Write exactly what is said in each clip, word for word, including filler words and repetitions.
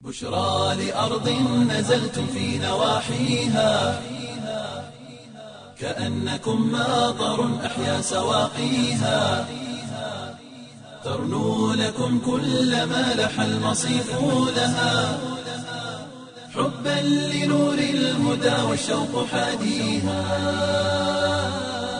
بشرى لأرض نزلتم في نواحيها، كأنكم ماطر أحيا سواقيها، ترنو لكم كل ما لح المصيف لها، حبا لنور الهدى والشوق حاديها،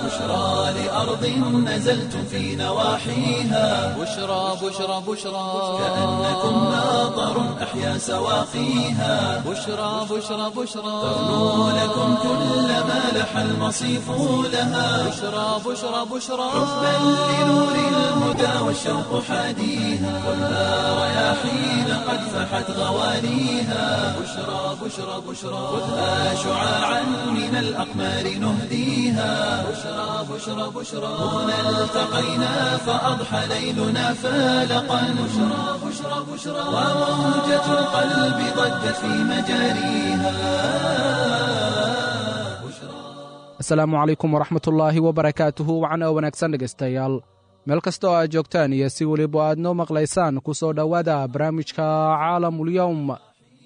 بشرى لأرض نزلتم في نواحيها، بشرى بشرى بشرى، كأنكم ماطر أحيا سواقيها، بشرى بشرى بشرى، ترنو لكم كل ما لح المصيف لها، بشرى بشرى بشرى، حبا لنور الهدى والشوق حاديها، خذها رياحين قد فحت غوانيها، بشرى بشرى بشرى، خذها شعاعا من الأقمار نهديها، بشرى بشرى بشرى، هنا التقينا فأضحى ليلنا فالقا، بشرى بشرى بشرى، وموجة القلب ضجت في مجاريها. Asalaamu calaykum waraxmatullaahi wabarakaatuhu. Wacan oo wanaagsan dhegaystayaal, meel kasta oo aad joogtaan iyo si weliba aad noo maqlaysaan, ku soo dhowaada barnaamijka Caalamulyowm.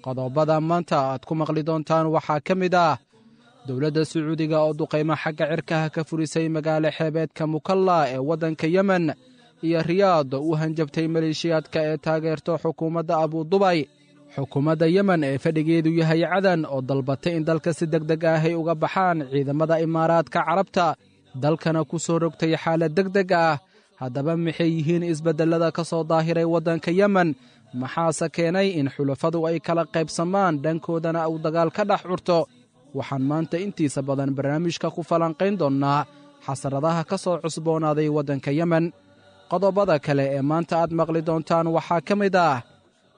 Qodobada maanta aad ku maqli doontaan waxaa ka mid ah dowladda Sacuudiga oo duqaymo xagga cirkaha ka furisay magaalo xeebeedka Mukalla ee waddanka Yemen, iyo Riyaad oo u hanjabtay maleeshiyaadka ee taageerto xukuumadda Abudubay. Xukuumadda Yemen ee fadhigeedu yahay Cadan oo dalbatay in dalka si deg deg ah ay uga baxaan ciidamada Imaaraadka Carabta, dalkana ku soo rogtay xaalad deg deg ah. Haddaba maxay yihiin isbeddellada ka soo daahiray waddanka Yemen? Maxaase keenay in xulafadu ay kala qaybsamaan, dhankoodana uu dagaal ka dhex curto? Waxaan maanta intiisa badan barnaamijka ku falanqayn doonnaa xasaradaha ka soo cusboonaaday waddanka Yemen. Qodobada kale ee maanta aad maqli doontaan waxaa ka mid ah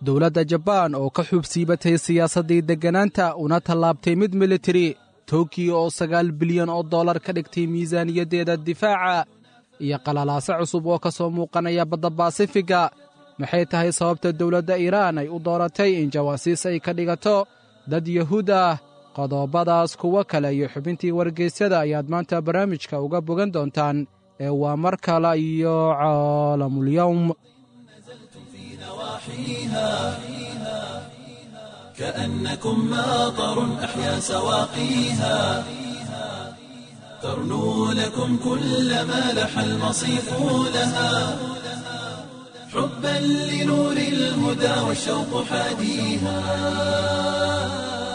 dowladda Jabaan oo ka xuubsiibatay siyaasaddii degganaanta una tallaabtay mid militari, Tokiyo oo sagaal bilyan oo dollar ka dhigtay miisaaniyaddeeda difaaca, iyo qalalaase cusub oo ka soo muuqanaya badda Baasifiga. Maxay tahay sababta dowladda Iiraan ay u dooratay in jawaasiis ay ka dhigato dad Yahuud ah? Qodobadaas, kuwo kale iyo xubintii wargeysyada ayaad maanta barnaamijka uga bogan doontaan ee waa mar kale iyo Caalamulyowm. في نواحيها، كأنكم ماطر أحيا سواقيها، ترنو لكم كل ما لح المصيف لها، حبا لنور الهدى والشوق حاديها،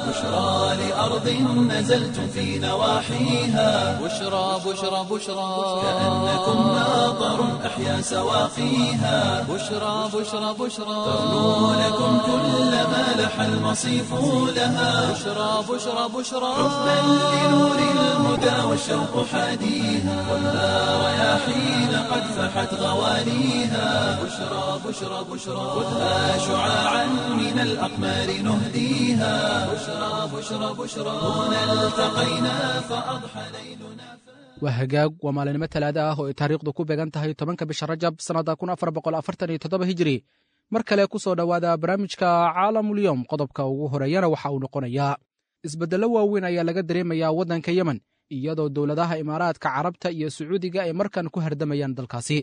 بشرى لأرض نزلتم في نواحيها، بشرى بشرى بشرى، كأنكم ماطر أحيا سواقيها، بشرى بشرى بشرى، ترنو لكم كل ما لح المصيف لها، بشرى بشرى بشرى، حبا لنور الهدى والشوق حاديها، خذها رياحين قد فحت غوانيها، بشرى بشرى بشرى، خذها شعاعا من الأقمار نهديها، بشرى بشرى بشرى، هنا التقينا فأضحى ليلنا. Waa hagaag, waa maalinimo Talaada ah oo ay taariikhdu ku beegan tahay tobanka bisha Rajab sannadda kun afar boqol afartan iyo toddoba Hijiri. Mar kale ku soo dhowaada barnaamijka Caalamulyowm. Qodobka ugu horeeyana waxa uu noqonayaa isbeddello waaweyn ayaa laga dareemayaa waddanka Yemen, iyadoo dowladaha Imaaraadka Carabta iyo Sacuudiga ay markan ku hardamayaan dalkaasi.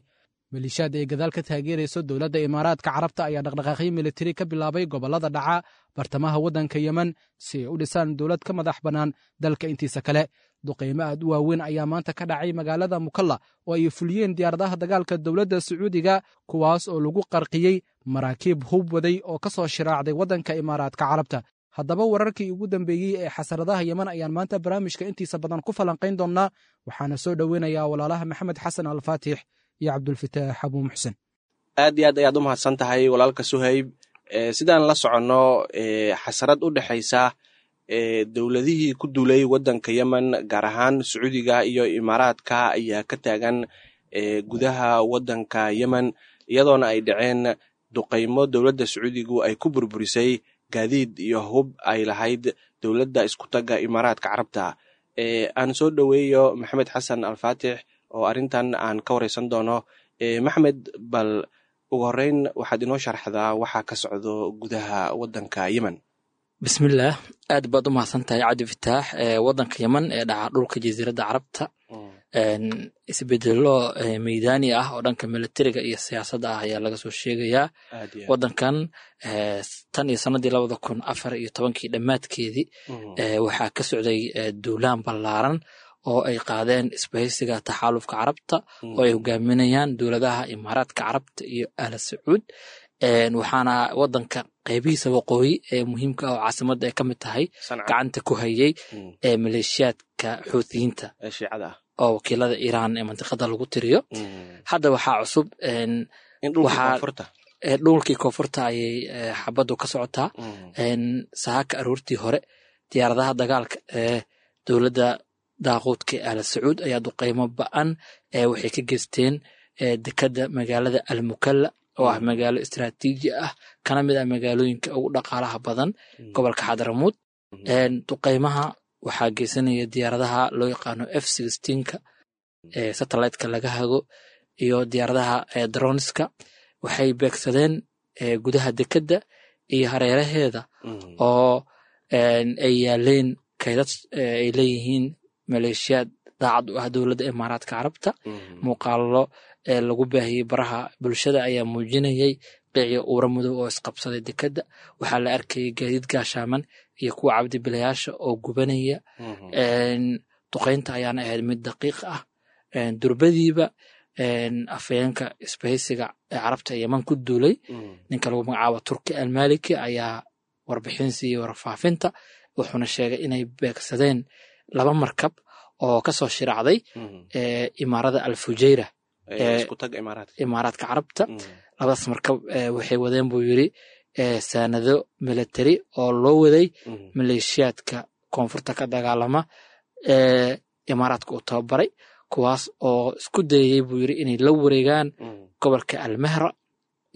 Maleeshiyaad ay gadaal ka taageerayso dowladda Imaaraadka Carabta ayaa dhaqdhaqaaqyo militari ka bilaabay gobollada dhaca bartamaha waddanka Yemen si ay u dhisaan dowlad ka madax bannaan dalka intiisa kale. Duqaymo aad u waaweyn ayaa maanta ka dhacay magaalada Mukalla oo ay fuliyeen diyaaradaha dagaalka dowladda Sacuudiga, kuwaas oo lagu qarqiyey maraakiib hub waday oo ka soo shiraacday waddanka Imaaraadka Carabta. Haddaba wararkii ugu dambeeyey ee xasaradaha Yemen ayaan maanta barnaamijka intiisa badan ku falanqayn doonnaa, waxaana soo dhoweynayaa walaalaha Maxamed Xasan Alfaatix iyo Cabdulfitaax Abuu Muxsen. Aad iyo aad ayaad u mahadsan tahay, walaalka Suhayb. Sidaan la soconno, xasarad u dhexaysa dowladihii ku duulay waddanka Yemen, gaar ahaan Sacuudiga iyo Imaaraadka, ayaa ka taagan gudaha waddanka Yemen, iyadoona ay dhaceen duqaymo dowladda Sacuudigu ay ku burburisay gaadiid iyo hub ay lahayd dowladda iskutagga Imaaraadka Carabta. Aan soo dhoweeyo Maxamed Xasan Alfaatix oo arrintan aan ka wareysan doono. Maxamed, bal ugu horeyn waxaad inoo sharxdaa waxaa ka socdo gudaha waddanka Yemen. Bismillaah, aad baad u mahadsan tahay, Cabdi Fataax. Waddanka Yemen ee dhaca dhulka Jasiiradda Carabta, Isbedelo meydaani ah oo dhanka militariga iyo siyaasadda ah ayaa laga soo sheegayaa wadankan. Tan iyo sanadii labada kun afar iyo tobankii dhammaadkeedii waxaa ka socday duulaan ballaaran oo ay qaadeen isbahaysiga taxaalufka Carabta oo ay hogaaminayaan dowladaha Imaaraadka Carabta iyo Ahla Sacuud. Waxaana wadanka qeybihiisa waqooyi ee muhiimka ah oo caasimadda ay ka mid tahay gacanta ku hayay maleeshiyaadka Xuuthiyiinta oo wakiilada Iiraan ee mantiqada lagu tiriyo. Hadda waxaa cusub dhulkii koonfurta ayay xabaddu ka socotaa. Saaka aroortii hore diyaaradaha dagaalka ee dowladda daaquudka ee Ahla Sacuud ayaa duqeymo ba-an waxay ka geysteen dekadda magaalada Almukalla oo ah magaalo istaraatiiji ah, kana mid ah magaalooyinka ugu dhaqaalaha badan gobolka Xadramuud. Duqeymaha waxaa geysanaya diyaaradaha loo yaqaano F sixteenka ee satelliteka laga hago iyo diyaaradaha dronska. Waxay beegsadeen gudaha dekedda iyo hareeraheeda oo ay yaaleen kaydad ay leeyihiin maleeshiyaad daacad u ah dowladda Imaaraadka Carabta. Muuqaalo lagu baahiyey baraha bulshada ayaa muujinayay qiicyo uura madow oo isqabsaday dekedda. Waxaa la arkayay gaadiid gaashaaman iyo kuwa cabdibilayaasha oo gubanaya. Duqeynta ayaana ahayd mid daqiiq ah. Durbadiiba afhayeenka isbahaysiga ee Carabta ee Yeman ku duulay, ninka lagu magacaabo Turki Almaliki, ayaa warbixin siiyey warfaafinta, wuxuuna sheegay inay beegsadeen laba markab oo kasoo shiraacday imaarada Alfujayra ee Imaaraadka Carabta. Labadaas markab waxay wadeen, buu yiri, saanado military oo loo waday maleeshiyaadka koonfurta ka dagaalama ee Imaaraadka uu tababaray, kuwaas oo isku dayayey, buu yiri, inay la wareegaan gobolka Almahra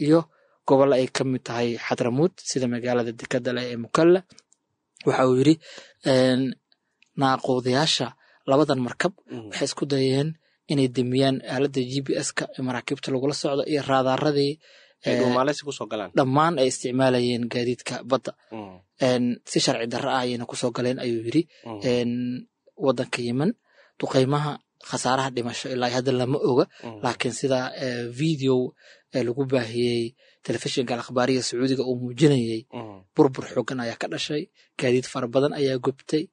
iyo gobolla ay ka mid tahay Xadramuud, sida magaalada dekada leh ee Mukalla. Waxa uu yiri naaquudayaasha labadan markab waxay isku dayeen inay demiyaan aaladda G P S-ka ee maraakiibta lagula socdo iyo raadaaradii dhammaan ay isticmaalayeen gaadiidka badda. Si sharci darro ah ayayna kusoo galeen, ayuu yiri, wadanka Yemen. Duqeymaha khasaaraha dhimasho ilaa hadda lama oga, laakiin sida video lagu baahiyey telefishinka Alakhbaariya Sacuudiga uu muujinayey, burbur xoogan ayaa ka dhashay, gaadiid fara badan ayaa gubtay.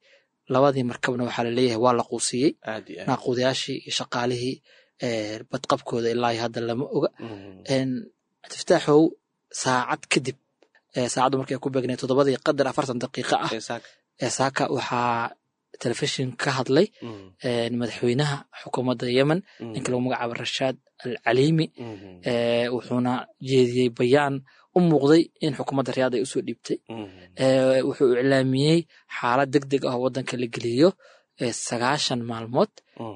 Labadii markabna waxaa laleeyahay waa la quusiyey. Naaquudayaashii iyo shaqaalihii badqabkooda ilaa hadda lama oga. Cabdifataaxow, saacad kadib, saacaddu markay ku beegneed toddobadii qadar afartan daqiiqo ah ee saaka, waxaa telefishin ka hadlay madaxweynaha xukuumadda Yemen, ninka lagu magacaabo Rashaad Al Caliimi, wuxuuna jeediyey bayaan u muuqday in xukuumadda Riyaad ay usoo dhiibtay. Wuxuu iclaamiyey xaalad deg deg ah oo waddanka la geliyo sagaashan maalmood,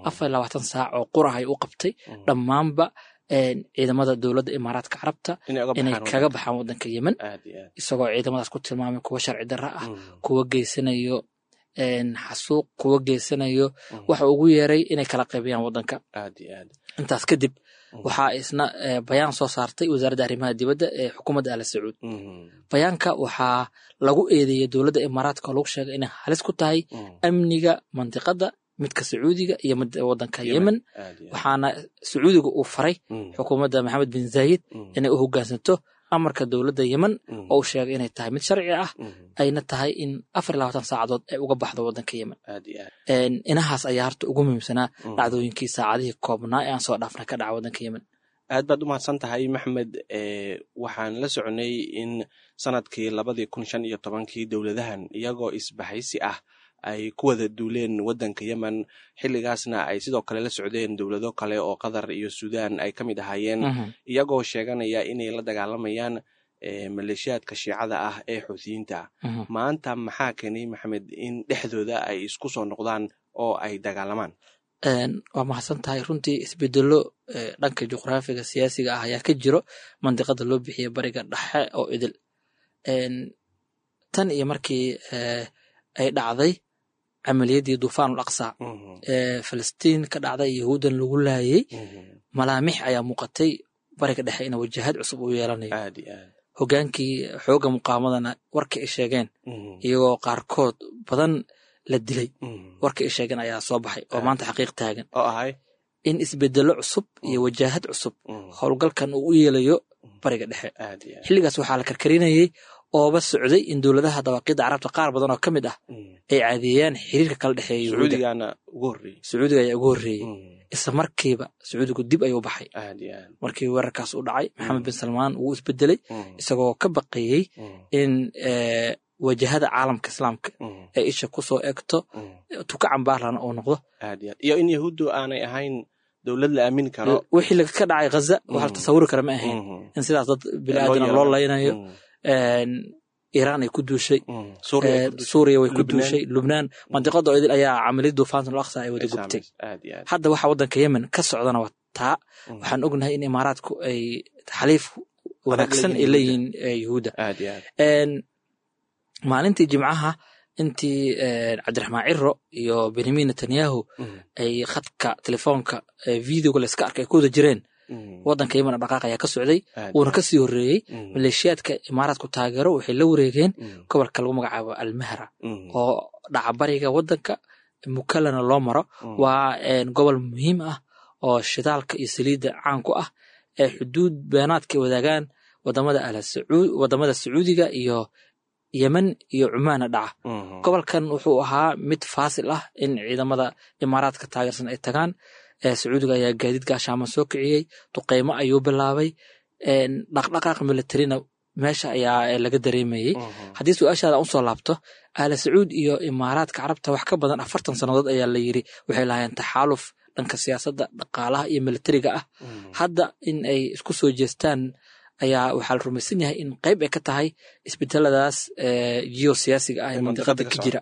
afar iyo labaatan saac oo qurah ay u qabtay dhammaanba ciidamada dowladda Imaaraadka Carabta inay kaga baxaan waddanka Yemen, isagoo ciidamadaas ku tilmaamay kuwa sharci darro ah, kuwa geysanayo xasuuq, kuwa geysanayo waxa ugu yeeray inay kala qaybiyaan waddanka. Intaas kadib waxaa isna bayaan soo saartay wasaaradda arrimaha dibadda ee xukuumadda Ala Sacuud. Bayaanka waxaa lagu eedeeyey dowladda Imaaraadka oo lagu sheegay inay halis ku tahay amniga mantiqadda, midka Sacuudiga iyo midda waddanka Yemen. Waxaana Sacuudiga uu faray xukuumadda Maxamed bin Zaayid inay u hoggaansanto amarka dowladda Yemen oo uu sheegay inay tahay mid sharci ah, ayna tahay in afar iyo labaatan saacadood ay uga baxdo waddanka Yemen. Inahaas ayaa horta ugu muhiimsanaa dhacdooyinkii saacadihii koobnaa ee aan soo dhaafna ka dhaca waddanka Yemen. Aad baad u mahadsan tahay, Maxmed. Waxaan la soconay in sanadkii labadii kun shan iyo tobankii dowladahan iyagoo isbahaysi ah ay ku wada duuleen waddanka Yemen, xilligaasna ay sidoo kale la socdeen dowlado kale oo Qatar iyo Suudaan ay ka mid ahaayeen, iyagoo sheeganaya inay la dagaalamayaan maleeshiyaadka Shiicada ah ee Xuutiyiinta. Maanta maxaa keenay, Maxamed, in dhexdooda ay isku soo noqdaan oo ay dagaalamaan? Waa mahadsan tahay. Runtii isbedelo dhanka juqraafiga siyaasiga ah ayaa ka jiro mandiqada loo bixiya Bariga Dhexe oo idil. Tan iyo markii ay dhacday camaliyadii Duufaanul Aqsa ee Falastiin ka dhacday, Yahuudan lagu laayay, malaamix ayaa muuqatay Bariga Dhexe ina wajahad cusub uu yeelanayo. Hogaankii xooga muqaamadana warka ay sheegeen, iyagoo qaarkood badan la dilay, warka ay sheegeen ayaa soo baxay oo maanta xaqiiq taagan. In isbedelo cusub iyo wajaahad cusub howlgalkan uu u yeelayo Bariga Dhexe. Xilligaas waxaa la karkarinayey ooba socday in dowladaha dawaaqidda Carabta qaar badan oo ka mid ah ay caadiyeeyaan xiriirka kala dhexeeya Yuhuudda. Sacuudiga ayaa ugu horreeyey. Isla markiiba Sacuudigu dib ayuu baxay. Markii weerarkaas u dhacay, Maxamed bin Salmaan wuu isbedelay, isagoo ka baqayey in wajahada caalamka Islaamka ay isha kusoo egto, tuka cambaarlana uu noqdo, iyo in Yahuuddu aanay ahayn dowlad la aamini karo. Wixii ka dhacay Ghaza waxa la tasawuri kara ma ahayn, in sidaas dad biniaadana loo laynayo. Iiraan ay ku duushay, Suuriya way ku duushay, Lubnaan, mandiqada oo idil ayaa camaliyad duufaanta Al Aqsa ay wada gubtay. Hadda waxa waddanka Yemen ka socdana waa taa. Waxaan ognahay in Imaaraadku ay xaliif wanaagsan ay leeyihiin Yuhuudda. Maalintii Jimcaha, intii Cabdiraxmaan Ciro iyo Benyamin Netanyahu ay khadka telefoonka videoga layska arkay ay ku wada jireen, waddanka Yemen dhaqaaq ayaa ka socday, wuuna ka sii horreeyey. Maleeshiyaadka Imaaraadku taageero waxay la wareegeen gobolka lagu magacaabo Almahra oo dhacabariga waddanka, Mukalana loo maro. Waa gobol muhiim ah oo shidaalka iyo saliidda caan ku ah, ee xuduud beenaadka ay wadaagaan wadamada wadamada Sacuudiga iyo Yemen iyo Cumaanna dhaca. Gobolkan wuxuu ahaa mid faasil ah in ciidamada Imaaraadka taageersan ay tagaan. Sacuudiga ayaa gaadiid gaashaaman soo kiciyey, duqeymo ayuu bilaabay, dhaqdhaqaaq militarina meesha ayaa laga dareemayey. Haddii su-aashaada usoo laabto, Aala Sacuud iyo Imaaraadka Carabta wax ka badan afartan sannadood ayaa la yiri waxay lahaayeen taxaaluf dhanka siyaasadda, dhaqaalaha iyo militariga ah. Hadda in ay isku soo jeestaan ayaa waxaa la rumaysan yahay in qayb ay ka tahay isbedeladaas geosiyaasiga ah ee mandiqada ka jira.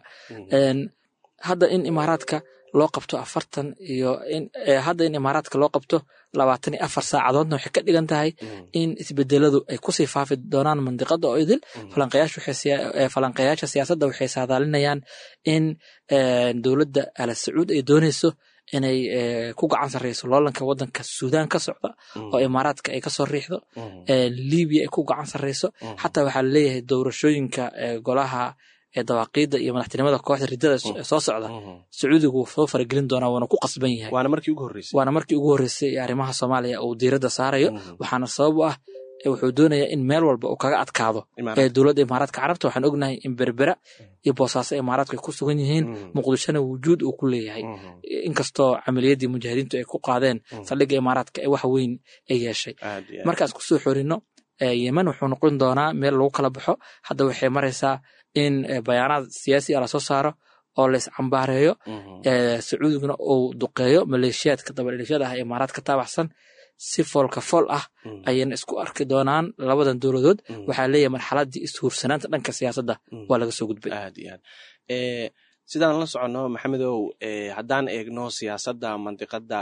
Hadda in Imaaraadka loo qabto afartan iyo hadda in Imaaraadka loo qabto labaatan iyo afar saacadoodna waxay ka dhigan tahay in isbedeladu ay kusii faafi doonaan mandiqada oo idil. Falanqeyaasha siyaasadda waxay saadaalinayaan in dowladda Ala Sacuud ay doonayso inay ku gacan sarreyso loolanka waddanka Suudaan ka socda oo Imaaraadka ay kasoo riixdo, Libiya ay ku gacan sarreyso. Xataa waxaa laleeyahay doorashooyinka golaha dawaaqiidda iyo madaxtinimada kooxda riddada soo socda Sacuudigu wuu soo faragelin doonaa, waana ku qasban yahay. Waana markii ugu horreysay Waana markii ugu horreysay ee arrimaha Soomaaliya uu diiradda saarayo. Waxaana sabab u ah wuxuu doonayaa in meel walba uu kaga adkaado ee dowladda Imaaraadka Carabta. Waxaan ognahay in Berbera iyo Boosaaso Imaaraadku ay ku sugan yihiin, Muqdishona wujuud uu ku leeyahay, inkastoo camaliyaddii mujaahidiintu ay ku qaadeen saldhigga Imaaraadka ee wax weyn ay yeeshay. Markaas kusoo xorino, Yemen wuxuu noqon doonaa meel lagu kala baxo. Hadda waxay maraysaa in bayaanaad siyaasi ah lasoo saaro oo la iscambaareeyo, Sacuudiguna uu duqeeyo maleeshiyaadka dabadhilifyada ah ee Imaaraadka taabaxsan. Si foolka fool ah ayayna isku arki doonaan labadan dowladood. Waxaa leeyahay marxaladdii ishuursanaanta dhanka siyaasadda waa laga soo gudbay. Aad iyo aad. Sidaan la soconno, Maxamedow, haddaan eegno siyaasadda mandiqada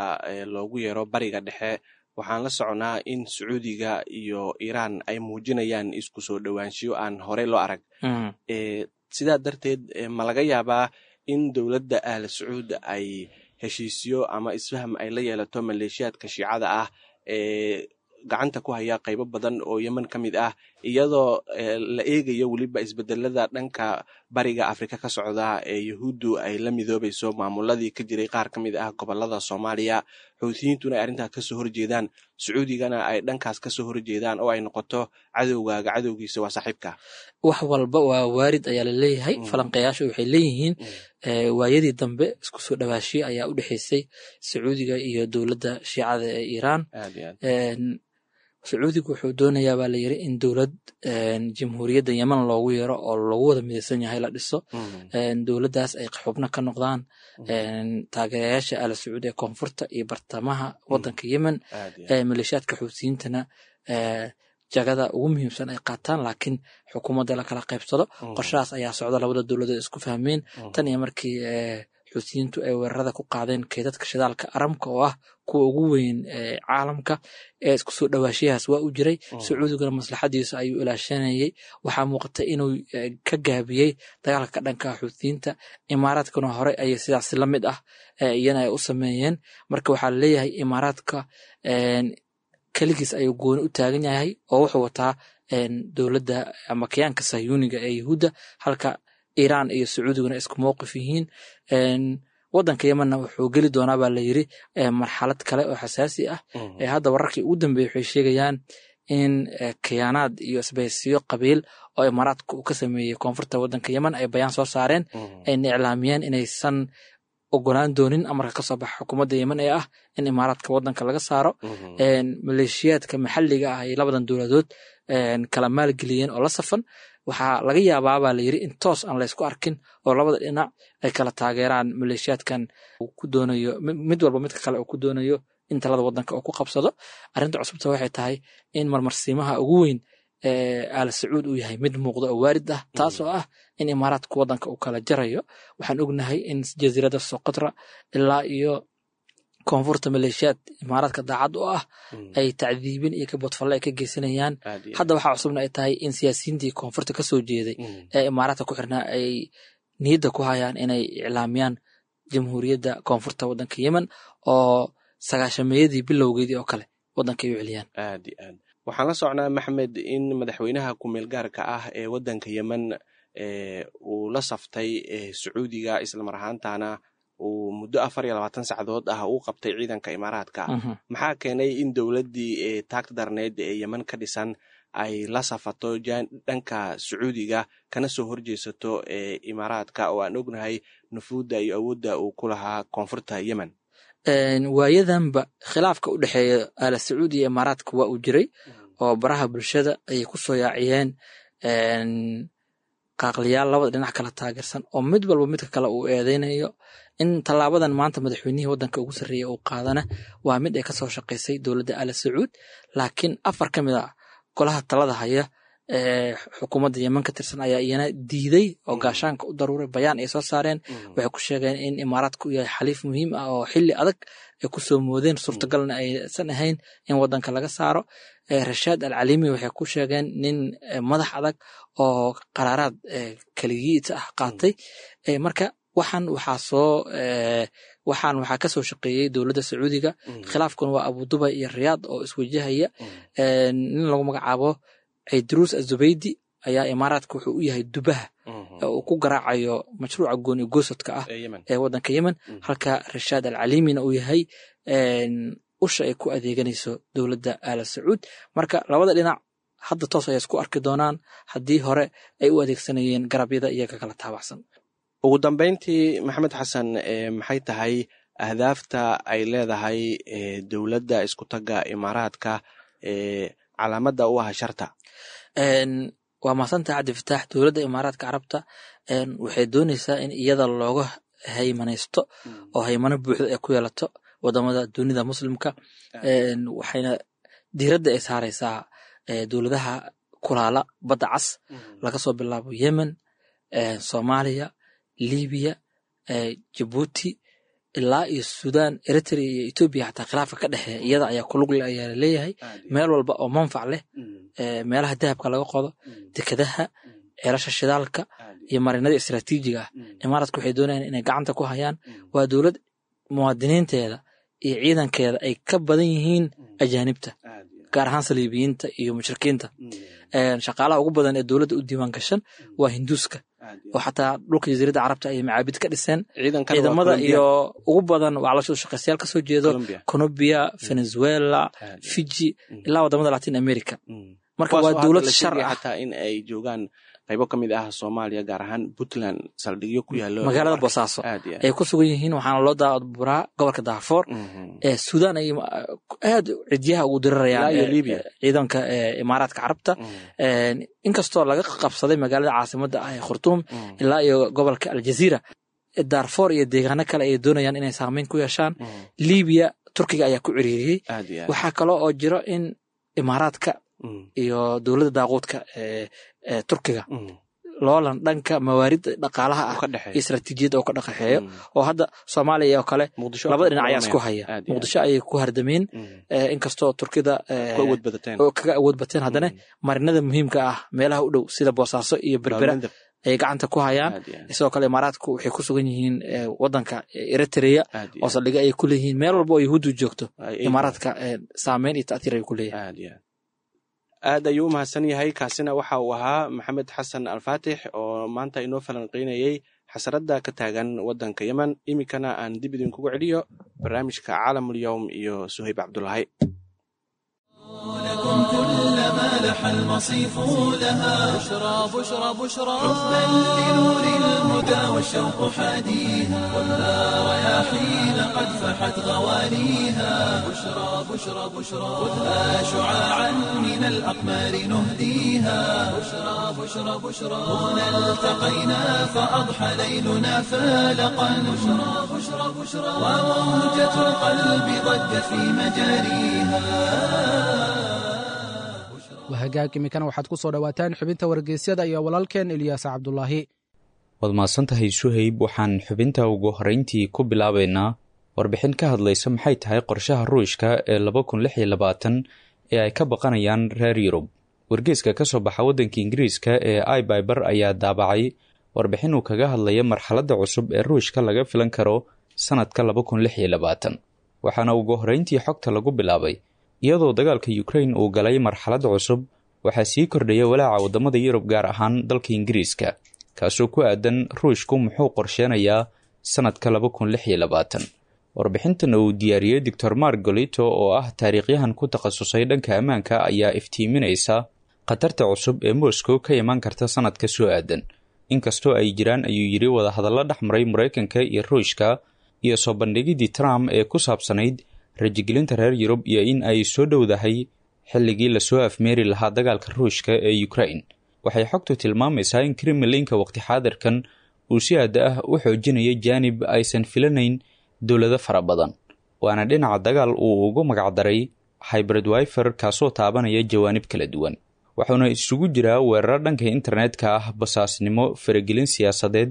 loogu yeero Bariga Dhexe, waxaan la soconaa in Sacuudiga iyo Iiraan ay muujinayaan isku soo dhowaanshiyo aan horey loo arag. Sidaa darteed, ma laga yaabaa in dowladda Ahla Sacuud ay heshiisyo ama isfaham ay la yeelato maleeshiyaadka Shiicada ah ee gacanta ku haya qaybo badan oo Yemen ka mid ah, iyadoo la eegayo weliba isbedelada dhanka Bariga Afrika ka socda ee Yahuuddu ay la midoobayso maamuladii ka jiray qaar ka mid ah gobolada Soomaaliya, Xuutiyiintuna ay arrintaas kasoo horjeedaan, Sacuudigana ay dhankaas kasoo horjeedaan, oo ay noqoto cadowgaaga cadowgiisa waa saaxiibka? Wax walba waa waarid ayaa la leeyahay. Falanqeyaashu waxay leeyihiin waayadii dambe isku soo dhawaashiyo ayaa u dhexeysay Sacuudiga iyo dowladda Shiicada ee Iiraan. Sacuudigu wuxuu doonayaa baa la yiri in dowlad Jamhuuriyadda Yemen loogu yeero oo lagu wada midaysan yahay la dhiso, dowladdaas ay xubno ka noqdaan taageerayaasha Ala Sacuud ee koonfurta iyo bartamaha waddanka Yemen, maleeshiyaadka Xuutiyiintana jagada ugu muhiimsan ay qaataan, laakiin xukuumadda la kala qaybsado. Qorshahaas ayaa socda, labada dowladood isku fahmeen tan iyo markii Xuutiyiintu ay weerarada ku qaadeen keydadka shidaalka Aramka oo ah kuwa ugu weyn caalamka. Ee isku soo dhawaashiyahaas waa u jiray, Sacuudiguna maslaxadiisa ayuu ilaashanayay. Waxaa muuqata inuu ka gaabiyey dagaalka ka dhanka Xuutiyiinta. Imaaraadkuna hore ayay sidaas la mid ah iyana ay u sameeyeen. Marka waxaa laleeyahay Imaaraadka keligiis ayuu gooni u taagan yahay oo wuxuu wataa dowladda ama kayaanka Sahyuuniga ee Yahuudda, halka Iiraan iyo Sacuudiguna isku mowqif yihiin. Wadanka Yemenna wuxuu geli doonaa baa la yiri marxalad kale oo xasaasi ah. Hadda wararkii ugu dambeeyey waxay sheegayaan in khiyaanaad iyo isbahaysiyo qabiil oo Imaaraadka uu ka sameeyey koonfurta wadanka Yemen ay bayaan soo saareen, ayna iclaamiyeen inaysan ogolaan doonin amarka kasoo baxa xukuumadda Yemen ee ah in Imaaraadka wadanka laga saaro. Maleeshiyaadka maxalliga ah ay labadan dowladood kala maalgeliyeen oo la safan, waxaa laga yaabaa baa la yiri in toos aan laysku arkin oo labada dhinac ay kala taageeraan maleeshiyaadkan ku doonayo mid walba midka kale uu ku doonayo in talada wadanka uu ku qabsado. Arrinta cusubta waxay tahay in marmarsiimaha ugu weyn Aala Sacuud uu yahay mid muuqda oo waarid ah, taasoo ah in Imaaraadka wadanka uu kala jarayo. Waxaan ognahay in jasiiradda Soqotra ilaa iyo koonfurta maleeshiyaad Imaaraadka daacad u ah ay tacdiibin iyo kaboodfalle ay ka geysanayaan. Hadda waxaa cusubna ay tahay in siyaasiyiintii koonfurta kasoo jeeday ee Imaaraadka ku xirnaa ay niyadda ku hayaan inay iclaamiyaan jamhuuriyadda koonfurta wadanka Yemen oo sagaashameeyadii bilowgeedii oo kale wadanka ay u celiyaan. Aad iyo aad waxaan la socnaa, Maxmed, in madaxweynaha kumeel gaarka ah ee wadanka Yemen uu la saftay Sacuudiga, islamar ahaantana uu muddo afar iyo labaatan sacdood ah uu qabtay ciidanka Imaaraadka. Maxaa keenay in dowladdii taagta darneed ee Yemen ka dhisan ay la safato dhanka Sacuudiga kana soo horjeesato Imaaraadka oo aan ognahay nufuudda iyo awoodda uu ku lahaa koonfurta Yemen? Waayadanba khilaafka u dhexeeya Aala Sacuudi iyo Imaaraadka waa uu jiray oo baraha bulshada ayay ku soo yaaciyeen qaaqliyaal labada dhinac kala taageersan oo mid walba midka kale uu eedeynayo. In tallaabadan maanta madaxweynihii wadanka ugu sarreeyay uu qaadana waa mid ay kasoo shaqaysay dowladda Aala Sacuud, laakiin afar ka mid a golaha talada haya ee xukuumadda Yemen ka tirsan ayaa iyana diiday oo gaashaanka u daruuray. Bayaan ay soo saareen waxay ku sheegeen in Imaaraadka uu yahay xaliif muhiim ah oo xilli adag ay ku soo moodeen, suurtagalna aysan ahayn in wadanka laga saaro. Rashaad Al Calimi waxay ku sheegeen nin madax adag oo qaraaraad keligiita ah qaatay. Marka waxaan waxaa soo waxaan waxaa kasoo shaqeeyey dowladda Sacuudiga. Khilaafkuna waa Abu Dubay iyo Riyaad oo iswajahaya. Nin lagu magacaabo Cayduruus Azubaydi ayaa Imaaraadka wuxuu u yahay dubaha uu ku garaacayo mashruuca gooni goosadka ah ee wadanka Yemen, halka Rashaad Al Calimina uu yahay usha ay ku adeeganayso dowladda Aala Sacuud. Marka labada dhinac hadda toos ayay isku arki doonaan haddii hore ay u adeegsanayeen garabyada iyaga kala taabacsan. Ugu dambeyntii, Maxamed Xasan, maxay tahay ahdaafta ay leedahay dowladda iskutagga Imaaraadka ee calaamadda u ah sharta? Waa mahadsantahay, Cabdi Fataax. Dowladda Imaaraadka Carabta waxay doonaysaa in iyada looga haymanaysto oo haymano buuxda ay ku yeelato wadamada dunida muslimka, waxayna diiradda ay saaraysaa dowladaha kulaala badda cas, laga soo bilaabo Yemen, Soomaaliya, Libiya, Jabuuti ilaa iyo Sudan, Eritrea iyo Etoobiya. Xataa khilaafka ka dhexeeya iyada ayaa kulug leh ayaa laleeyahay. Meel walba oo manfac leh, meelaha dahabka laga qodo, dekadaha, ceelasha shidaalka iyo marinada istiraatiijiga ah, Imaaraadka waxay doonayaan inay gacanta ku hayaan. Waa dowlad muwaadiniinteeda iyo ciidankeeda ay ka badan yihiin ajaanibta, gaar ahaan saliibiyiinta iyo mushrikiinta. Shaqaalaha ugu badan ee dowladda u diiwaan gashan waa Hinduuska, oo xataa dhulka jasiiradda Carabta ayay macaabid ka dhiseen. Ciidamada iyo ugu badan waa caloosha shaqaystayaal kasoo jeedo Colombia, Venezuela, Fiji ilaa wadamada Latin America. Marka waa dowlad shar ah. Xataa in ay joogaan qaybo ka mid ah Soomaaliya, gaar ahaan Puntland, saldhigyo ku yaalo magaalada Boosaaso ay ku sugan yihiin, waxaana loo daaburaa gobolka Daafoor ee Suudaan ay aad cidyaha ugu dirirayaan ciidanka Imaaraadka Carabta, inkastoo laga qabsaday magaalada caasimadda ah ee Khartuum ilaa iyo gobolka Aljaziira, Daarfoor iyo deegaano kale ay doonayaan inay saameyn ku yeeshaan. Libiya Turkiga ayaa ku ciriiriyey. Waxaa kaloo oo jiro in Imaaraadka iyo dowladda daaquudka ee Turkiga loolan dhanka mawaaridda dhaqaalaha ah iyo istaraatiijiyadda oo ka dhaqaxeeyo, oo hadda Soomaaliya oo kale labada dhinac ayaa isku haya. Muqdisho ayay ku hardameen, inkastoo Turkida kaga awood bateen, haddana marinada muhiimka ah meelaha u dhow sida Boosaaso iyo Berbera ayay gacanta ku hayaan. Sidoo kale Imaaraadku waxay ku sugan yihiin wadanka Eritrea oo saldhigyo ay ku leeyihiin. Meel walba oo Yahuuddu joogto Imaaraadka saameyn iyo ta'tiir ay ku leeyahay. Aad ayuu u mahadsan yahay. Kaasina waxa uu ahaa Maxamed Xasan Alfaatix oo maanta inoo falanqeynayey xasarada ka taagan waddanka Yemen. Iminkana aan dib idinkugu celiyo barnaamijka Caalamul Yowm iyo Suhayb Cabdulaahi. لكم كل ما لح المصيف لها. بشرى بشرى بشرى. حبا لنور الهدى والشوق حاديها، والنار رياحين قد فحت غواليها. بشرى بشرى بشرى. خذها شعاعا من الأقمار نهديها. بشرى بشرى بشرى. هنا التقينا فأضحى ليلنا فالقا. بشرى بشرى بشرى. وموجة القلب ضجت في مجاريها. Wahagaag, iminkana waxaad ku soo dhowaataan xubinta wargeysyada iyo walaalkeen Ilyaas Cabdulaahi. Waad mahadsantahay, Suhayb. Waxaan xubinta ugu horreyntii ku bilaabaynaa warbixin ka hadlaysa maxay tahay qorshaha Ruushka ee laba kun lix iyo labaatan ee ay ka baqanayaan reer Yurub. Wargeyska ka soo baxa waddanka Ingiriiska ee iBiber ayaa daabacay warbixin uu kaga hadlaya marxaladda cusub ee Ruushka laga filan karo sannadka laba kun lix iyo labaatan. Waxaana ugu horreyntii xogta lagu bilaabay: iyadoo dagaalka Ukrain uu galay marxalad cusub, waxaa sii kordhaya walaaca waddamada Yurub, gaar ahaan dalka Ingiriiska, kaasoo ku aadan Ruushku muxuu qorsheenayaa sannadka laba kun lix iyo labaatan. Warbixintan uu diyaariyey Doctor Mark Golito oo ah taariikhyahan ku takhasusay dhanka ammaanka ayaa iftiiminaysa khatarta cusub ee Moscow ka iman karta sannadka soo aadan. Inkastoo ay jiraan, ayuu yidhi, wadahadallo dhex maray Maraykanka iyo Ruushka iyo soo bandhigidii Trump ee ku saabsanayd rajigelinta reer Yurub iyo in ay soo dhowdahay xilligii lasoo afmeeri lahaa dagaalka Ruushka ee Ukrain, waxay xogtu tilmaamaysaa in Kremlinka waqti xaadirkan uu si aada ah u xoojinayo jaanib aysan filanayn dowlado fara badan, waana dhinaca dagaal uu ugu magacdaray hybrid warfare, kaasoo taabanaya jawaanib kala duwan, wuxuuna isugu jiraa weeraro dhanka internetka ah, basaasnimo, faragelin siyaasadeed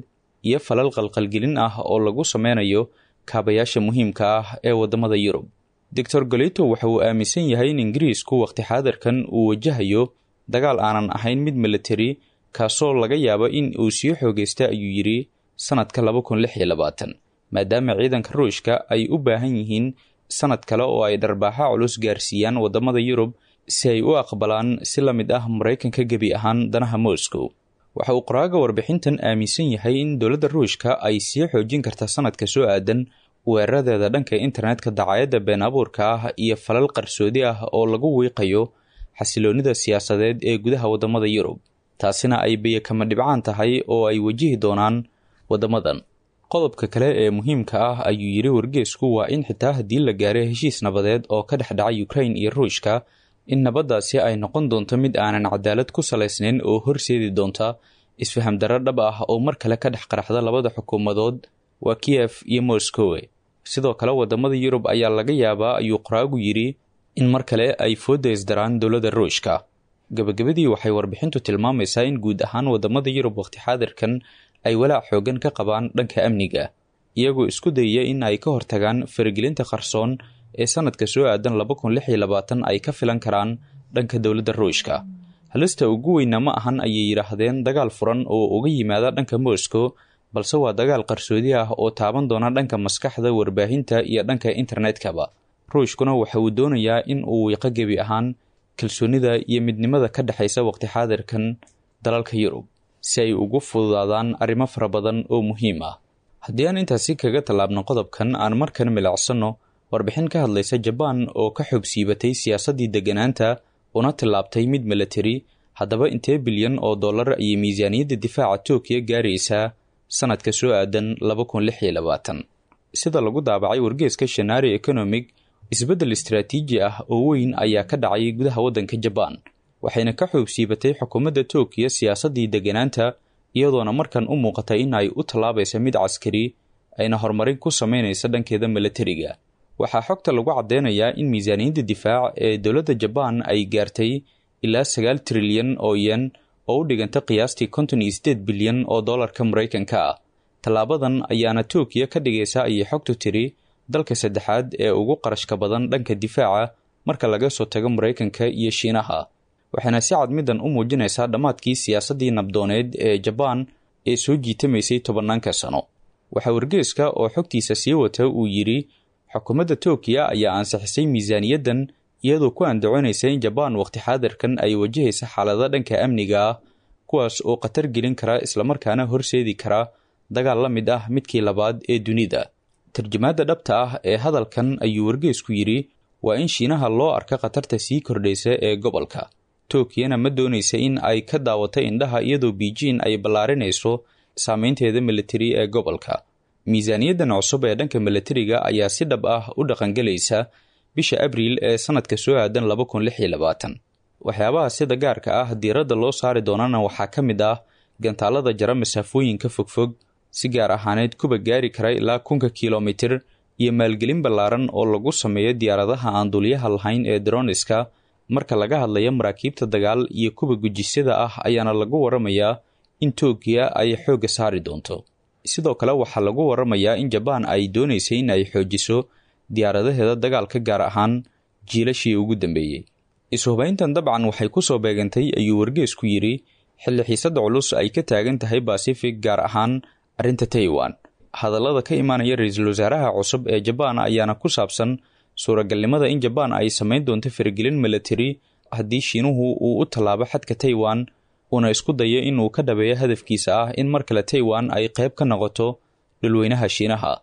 iyo falal qalqalgelin ah oo lagu sameynayo kaabayaasha muhiimka ah ee waddamada Yurub. Doctor Golito waxa uu aaminsan yahay in Ingiriisku waqti xaadirkan uu wajahayo dagaal aanan ahayn mid military, kaasoo laga yaabo in uu sii xoogaysta, ayuu yidhi, sannadka laba kun lix iyo labaatan, maadaama ciidanka Ruushka ay u baahan yihiin sannad kale oo ay dharbaaxa culus gaarsiiyaan waddamada Yurub si ay u aqbalaan si la mid ah Maraykanka gebi ahaan danaha Moscow. Waxa uu qoraaga warbixintan aaminsan yahay in dowladda Ruushka ay sii xoojin karta sannadka soo aadan weeraradeeda dhanka internetka, dacaayadda been abuurka ah iyo falal qarsoodi ah oo lagu wiiqayo xasiloonnida siyaasadeed ee gudaha waddamada Yurub, taasina ay biyo kama dhibcaan tahay oo ay wajihi doonaan waddamadan. Qodobka kale ee muhiimka ah, ayuu yidhi wargeesku, waa in xitaa haddii la gaaray heshiis nabadeed oo ka dhex dhaca Ukrain iyo Ruushka, in nabaddaasi ay noqon doonto mid aanan cadaalad ku salaysnayn oo horseedi doonta isfaham darro dhab ah oo mar kale ka dhex qaraxda labada xukuumadood, waa Kiyef iyo Moscowe. Sidoo kale waddamada Yurub ayaa laga yaabaa, ayuu qoraagu yidhi, in mar kale ay foodda isdaraan dowladda Ruushka. Gabagabadii, waxay warbixintu tilmaamaysaa in guud ahaan waddamada Yurub waqti xaadirkan ay walaac xoogan ka qabaan dhanka amniga, iyagoo isku dayaya in ay ka hortagaan faragelinta qarsoon ee sannadka soo aadan laba kun lix iyo labaatan ay ka filan karaan dhanka dowladda Ruushka. Halista ugu weyna ma ahan, ayay yidhaahdeen, dagaal furan oo uga yimaada dhanka Moscow, balse waa dagaal qarsoodi ah oo taaban doona dhanka maskaxda, warbaahinta iyo dhanka internetkaba. Ruushkuna waxa uu doonayaa in uu wiiqo gebi ahaan kalsoonida iyo midnimada ka dhexaysa waqti xaadirkan dalalka Yurub si ay ugu fududaadaan arrimo fara badan oo muhiim ah. Haddii aan intaasi kaga tallaabno qodobkan, aan markan milacsanno warbixin ka hadlaysa Jabaan oo ka xoog siibatay siyaasaddii degganaanta una tillaabtay mid military. Haddaba intee bilyan oo dollar ayay miisaaniyadda difaaca Tookiya gaaraysaa sannadka soo aadan laba kun lix iyo labaatan? Sida lagu daabacay wargeeska Shanari Economic, isbeddel istaraatiiji ah oo weyn ayaa ka dhacay gudaha waddanka Jabaan, waxayna ka xoog siibatay xukuumadda Tookiya siyaasaddii degganaanta, iyadoona markan u muuqatay in ay u tallaabaysa mid caskari, ayna horumarin ku sameynaysa dhankeeda militariga. Waxaa xogta lagu caddeynayaa in miisaaniyadda difaac ee dowladda Jabaan ay gaartay ilaa sagaal trilyan oo yen, oo u dhiganta qiyaastii konton iyo sideed bilyan oo dollarka Maraykanka ah. Tallaabadan ayaana Tookiya ka dhigaysa, ayay xogtu tiri, dalka saddexaad ee ugu qarashka badan dhanka difaaca marka laga soo tago Maraykanka iyo Shiinaha, waxayna si cad middan u muujinaysaa dhammaadkii siyaasaddii nabdooneed ee Jabaan ee soo jiitamaysay tobannaanka sano. Waxaa wargeeska oo xogtiisa sii wata uu yidhi: xukuumadda Tookiya ayaa ansixisay miisaaniyaddan iyadoo ku andacoonaysa in Jabaan waqti xaadirkan ay wajahaysa xaalado dhanka amniga ah, kuwaas oo khatar gelin kara islamarkaana horseedi kara dagaal la mid ah midkii labaad ee dunida. Tarjumaadda dhabta ah ee hadalkan ayuu wargeysku yidhi waa in Shiinaha loo arka khatarta sii kordhaysa ee gobolka. Tokiyana ma doonaysa in ay ka daawato indhaha iyadoo Beijing ay ballaarinayso saameynteeda militari ee gobolka. Miisaaniyaddan cusub ee dhanka militariga ayaa si dhab ah u dhaqangelaysa bisha Abriil ee sanadka soo aadan laba kun lix iyo labaatan. Waxyaabaha sida gaarka ah diiradda loo saari doonana waxaa ka mid ah gantaalada jara masaafooyinka fogfog, si gaar ahaaneed kuba gaari kara ilaa kunka kilomitir, iyo maalgelin ballaaran oo lagu sameeyo diyaaradaha aan duuliyaha lahayn ee droniska. Marka laga hadlayo maraakiibta dagaal iyo kuwa gujisyada ah ayaana lagu waramayaa in Tookiya ay xoogga saari doonto. Sidoo kale waxaa lagu waramayaa in Jabaan ay doonaysay in ay xoojiso diyaaradaheeda dagaalka, gaar ahaan jiilashii ugu dambeeyey. Ishubayntan dabcan waxay ku soo beegantay ayuu wargeysku yidhi xilli xiisadda culus ay ka taagan tahay Pacific, gaar ahaan arrinta Taiwan. Hadallada ka imaanaya ra-iisul wasaaraha cusub ee Jabaan ayaana ku saabsan suuragalnimada in Jabaan ay samayn doonto faragelin militari haddii Shiinuhu uu u tallaabo xadka Taiwan, uuna isku dayo inuu ka dhabeeyo hadafkiisa ah in mar kale Taiwan ay qayb ka noqoto dhulweynaha Shiinaha.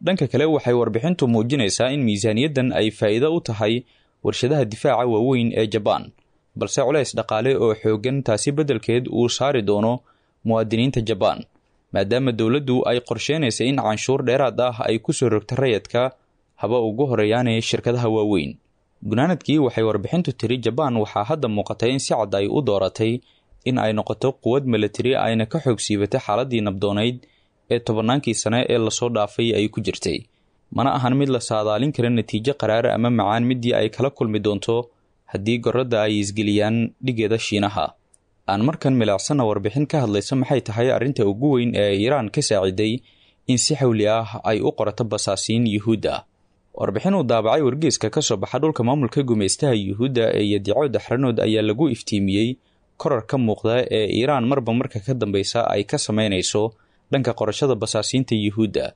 Dhanka kale waxay warbixintu muujinaysaa in miisaaniyaddan ay faa'iido u tahay warshadaha difaaca waaweyn ee Jabaan, balse culays dhaqaale oo xooggan taasi beddelkeed uu saari doono muwaadiniinta Jabaan, maadaama dowladdu ay qorsheynaysa in canshuur dheeraad ah ay ku soo rogto rayadka, haba ugu horeeyaanee shirkadaha waaweyn. Gunaanadkii waxay warbixintu tiri Jabaan waxaa hadda muuqatay in si cad ay u dooratay in ay noqoto quwad militari ayna ka xoog siibatay xaaladdii nabdoonayd ee tobannaankii sane ee lasoo dhaafay ay ku jirtay. Mana ahan mid la saadaalin kara natiijo qaraar ama macaan midii ay kala kulmi doonto haddii gorradda ay isgeliyaan dhigeeda Shiinaha. Aan markan milacsanna warbixin ka hadlaysa maxay tahay arrinta ugu weyn ee Iiraan ka saaciday in si xawli ah ay u qorato basaasiin Yuhuud ah. Warbixin uu daabacay wargeyska ka soo baxa dhulka maamulka gumaystaha Yuhuudda ee Yadico Daxranood ayaa lagu iftiimiyey korar ka muuqda ee Iiraan marba marka ka dambeysa ay ka sameynayso dhanka qorashada basaasiinta Yuhuudda.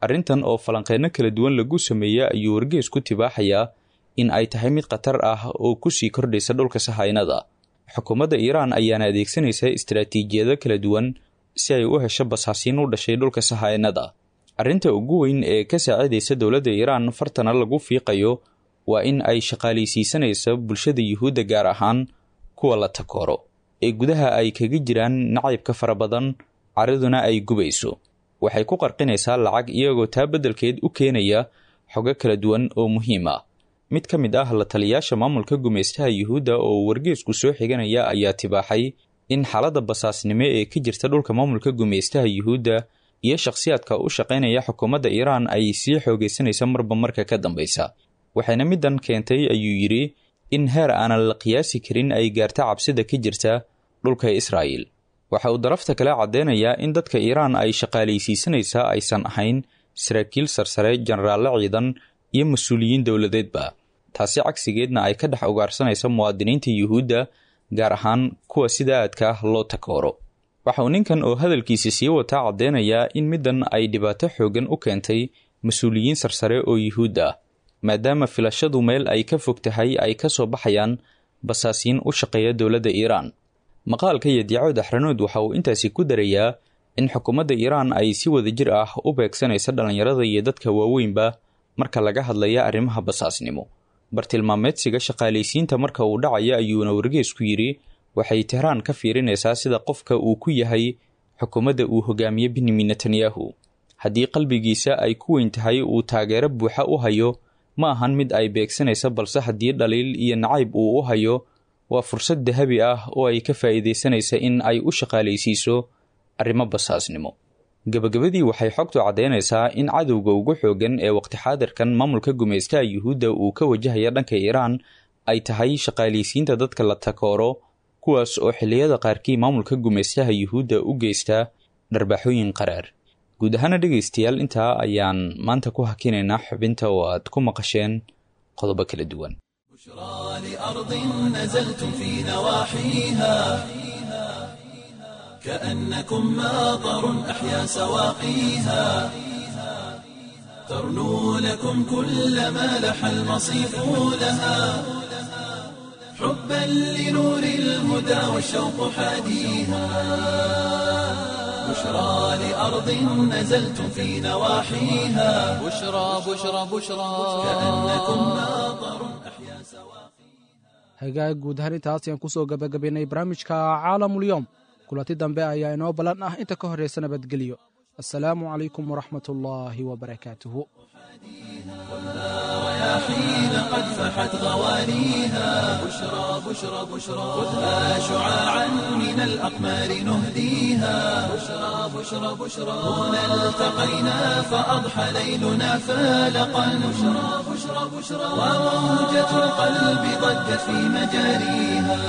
Arrintan oo falanqeyno kala duwan lagu sameeyey ayuu wargeysku tibaaxayaa in ay tahay mid khatar ah oo kusii kordhaysa dhulka sahaynada. Xukuumadda Iiraan ayaana adeegsanaysa istaraatiijiyado kala duwan si ay u hesho basaasiin u dhashay dhulka sahaynada. Arrinta ugu weyn ee ka saacidaysa dowladda Iiraan fartana lagu fiiqayo waa in ay shaqaalaysiisanaysa bulshada Yuhuudda, gaar ahaan kuwa la takooro ee gudaha ay kaga jiraan nacaybka fara badan, caraduna ay gubayso. Waxay ku qarqinaysaa lacag iyagoo taa beddelkeed u keenaya xogo kala duwan oo muhiim ah. Mid ka mid ah la taliyaasha maamulka gumaystaha Yuhuudda oo wargeysku soo xiganaya ayaa tibaaxay in xaaladda basaasnimo ee ka jirta dhulka maamulka gumaystaha Yuhuudda iyo shakhsiyaadka u shaqaynaya xukuumadda Iiraan ay sii xoogaysanaysa marba marka ka dambaysa. Waxayna middan keentay ayuu yidhi in heer aanan la qiyaasi karin ay gaarta cabsida ka jirta dhulka Israa'iil. Waxa uu darafta kale caddeynayaa in dadka Iiraan ay shaqaalaysiisanaysaa aysan ahayn saraakiil sarsare, jenaraallo ciidan iyo mas-uuliyiin dowladeedba, taasi cagsigeedna ay ka dhex ugaarsanaysa muwaadiniinta Yuhuudda, gaar ahaan kuwa sida aadka ah loo takooro. Waxa uu ninkan oo hadalkiisa sii wataa caddeynayaa in middan ay dhibaato xooggan u keentay mas-uuliyiin sarsare oo Yuhuud ah, maadaama filashadu meel ay ka fog tahay ay ka soo baxayaan basaasiin u shaqeeya dowladda Iiraan. Maqaalka Yadico Daxranood waxa uu intaasi ku darayaa in xukuumadda Iiraan ay si wadajir ah u beegsanaysa dhallinyarada iyo dadka waaweynba marka laga hadlaya arrimaha basaasnimo. Bartilmaameedsiga shaqaalaysiinta marka uu dhacaya ayuuna wargeysku yidhi waxay Tehraan ka fiirinaysaa sida qofka uu ku yahay xukuumadda uu hogaamiye Benjamin Netanyahu. Haddii qalbigiisa ay ku weyn tahay uu taageero buuxa u hayo, ma ahan mid ay beegsanaysa, balse haddii dhaliil iyo nacayb uu u hayo waa fursad dahabi ah oo ay ka faa'iidaysanaysa in ay u shaqaalaysiiso arrimo basaasnimo. Gabagabadii waxay xogtu caddeynaysaa in cadowga ugu xooggan ee waqti xaadirkan maamulka gumaystaha Yuhuudda uu ka wajahaya dhanka Iiraan ay tahay shaqaalaysiinta dadka la takooro, kuwaas oo xilliyada qaarkii maamulka gumaystaha Yuhuudda u geysta dharbaaxooyin qaraar. Guud ahaana dhegaystayaal, intaa ayaan maanta ku hakinaynaa xubinta oo aad ku maqasheen qodobo kala duwan. بشرى لأرض نزلتم في نواحيها كأنكم ماطر أحيا سواقيها، ترنو لكم كل ما لح المصيف لها، حبا لنور الهدى والشوق حاديها، بشرى لأرض نزلتم في نواحيها، بشرى بشرى بشرى كأنكم ماطر أحيا سواقيها. Hagaag, guud ahaan intaas ayaan kusoo gabagabaynay barnaamijka Caalamulyoom. Kulanti dambe ayaa inoo ballan ah, inta ka horraysa nabadgelyo. Assalaamu calaykum waraxmat ullaahi wabarakaatuhu. رياحين قد فحت غوانيها، بشرى بشرى بشرى خذها شعاعا من الأقمار نهديها، بشرى بشرى بشرى هنا التقينا فأضحى ليلنا فالقا، بشرى بشرى بشرى وموجة القلب ضجت في مجاريها.